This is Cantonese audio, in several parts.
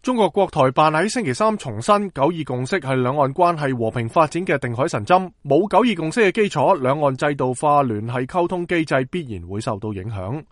中國國台辦喺星期三重申，九二共識係兩岸關係和平發展嘅定海神針，冇九二共識嘅基礎，兩岸制度化聯繫溝通機制必然會受到影響。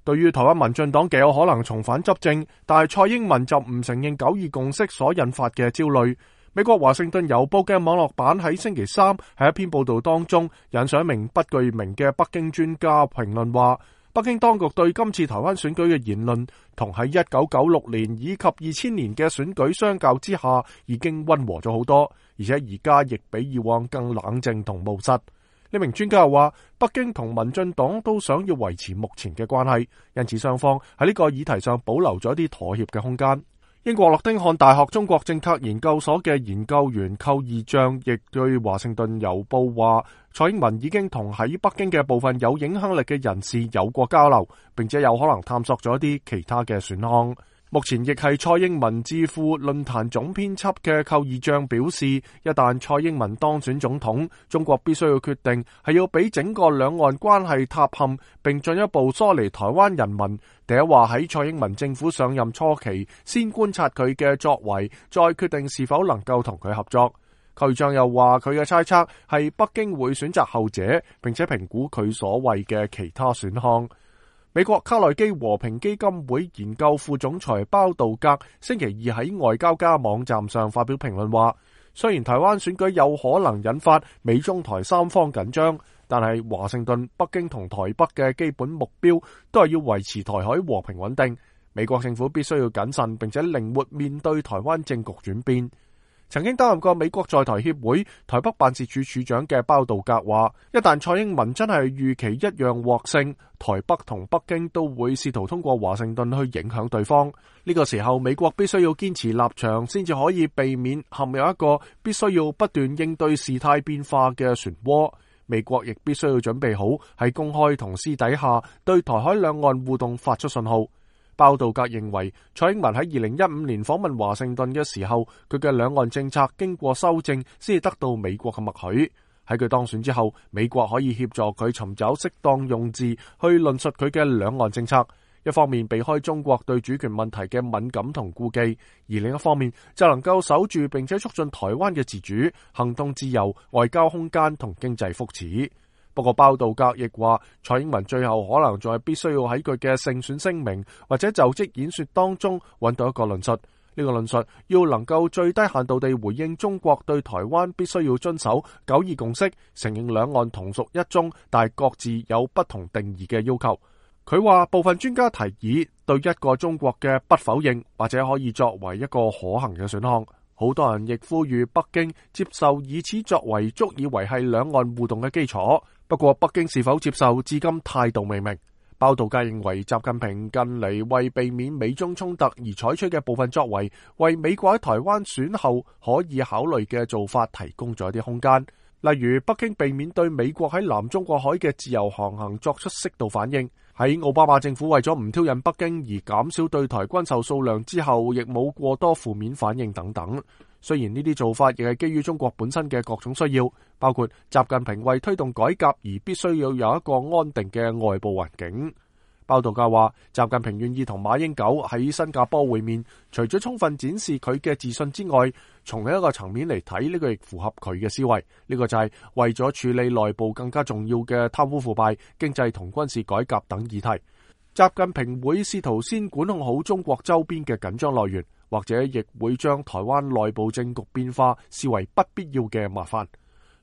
對於台灣民進黨極有可能重返執政，但係蔡英文就唔承認九二共識所引發嘅焦慮。美國華盛頓郵報嘅網絡版喺星期三喺一篇報道當中引述一名不具名嘅北京專家評論話，北京當局對今次台灣選舉嘅言論同喺1996年以及2000年嘅選舉相較之下已經溫和咗好多，而且而家亦比以往更冷靜同務實。呢名專家又話，北京同民進黨都想要維持目前嘅關係，因此雙方喺呢個議題上保留咗一啲妥協嘅空間。英國諾丁漢大學中國政策研究所嘅研究員寇義將亦對華盛頓郵報話，蔡英文已經同喺北京嘅部分有影響力嘅人士有過交流，並且有可能探索咗一啲其他嘅選項。目前亦係蔡英文智庫論壇總編輯嘅寇義將表示，一旦蔡英文當選總統，中國必須要決定係要俾整個兩岸關係塌陷，並進一步疏離台灣人民，第一話喺蔡英文政府上任初期先觀察佢嘅作為，再決定是否能夠同佢合作。寇義將又話，佢嘅猜測係北京會選擇後者，並且評估佢所謂嘅其他選項。美國卡內基和平基金會研究副總裁鮑道格星期二喺外交家網站上發表評論話，雖然台灣選舉有可能引發美中台三方緊張，但係華盛頓、北京同台北嘅基本目標都係要維持台海和平穩定。美國政府必須要謹慎並且靈活面對台灣政局轉變。曾經擔任過美國在台協會台北辦事處處長嘅鮑道格話，一旦蔡英文真係預期一樣獲勝，台北同北京都會試圖通過華盛頓去影響對方。呢個時候，美國必須要堅持立場，先至可以避免陷入一個必須要不斷應對事態變化嘅漩渦。美國亦必須要準備好喺公開同私底下對台海兩岸互動發出信號。鮑道格認為，蔡英文喺2015年訪問華盛頓嘅時候，佢嘅兩岸政策經過修正，先至得到美國嘅默許。喺佢當選之後，美國可以協助佢尋找適當用字去論述佢嘅兩岸政策，一方面避開中國對主權問題嘅敏感同顧忌，而另一方面就能夠守住並且促進台灣嘅自主、行動自由、外交空間同經濟福祉。不過鮑道格亦話，蔡英文最後可能仲係必須要喺佢嘅勝選聲明或者就職演說當中揾到一個論述，呢個論述要能夠最低限度地回應中國對台灣必須要遵守九二共識，承認兩岸同屬一中，但係各自有不同定義嘅要求。佢話部分專家提議對一個中國嘅不否認，或者可以作為一個可行嘅選項。好多人亦呼籲北京接受以此作為足以維繫兩岸互動嘅基礎。不過北京是否接受，至今態度未明。鮑道格認為，習近平近嚟為避免美中衝突而採取嘅部分作為，為美國喺台灣選後可以考慮嘅做法提供咗一啲空間。例如，北京避免對美國喺南中國海嘅自由航行作出適度反應。喺奧巴馬政府為咗唔挑釁北京而減少對台軍售數量之後，亦冇過多負面反應等等。雖然呢啲做法亦係基於中國本身嘅各種需要，包括習近平為推動改革而必須要有一個安定嘅外部環境。鮑道格話，習近平願意同馬英九喺新加坡會面，除咗充分展示佢嘅自信之外，從另一個層面嚟睇，呢個亦符合佢嘅思維。呢個就係為咗處理內部更加重要嘅貪污腐敗、經濟同軍事改革等議題。習近平會試圖先管控好中國周邊嘅緊張來源，或者亦會將台灣內部政局變化視為不必要嘅麻煩。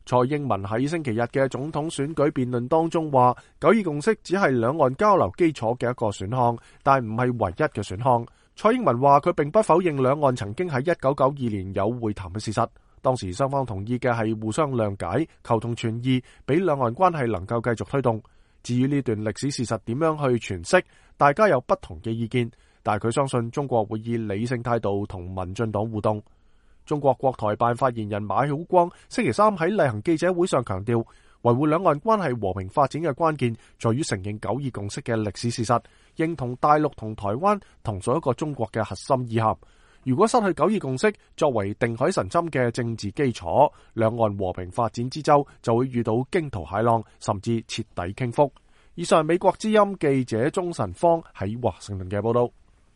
蔡英文喺星期日嘅總統選舉辯論當中話，九二共識只係兩岸交流基礎嘅一個選項，但唔係唯一嘅選項。蔡英文話佢並不否認兩岸曾經喺1992年有會談嘅事實，當時雙方同意嘅係互相諒解、求同存異，俾兩岸關係能夠繼續推動。至於呢段歷史事實點樣去詮釋，大家有不同嘅意見，但係佢相信中國會以理性態度同民進黨互動。中國國台辦發言人馬曉光星期三喺例行記者會上強調，維護兩岸關係和平發展嘅關鍵在於承認九二共識嘅歷史事實，認同大陸同台灣同屬一個中國嘅核心意涵。如果失去九二共識作為定海神針嘅政治基礎，兩岸和平發展之舟就會遇到驚濤駭浪，甚至徹底傾覆。以上係美國之音記者鍾晨芳喺華盛頓嘅報道。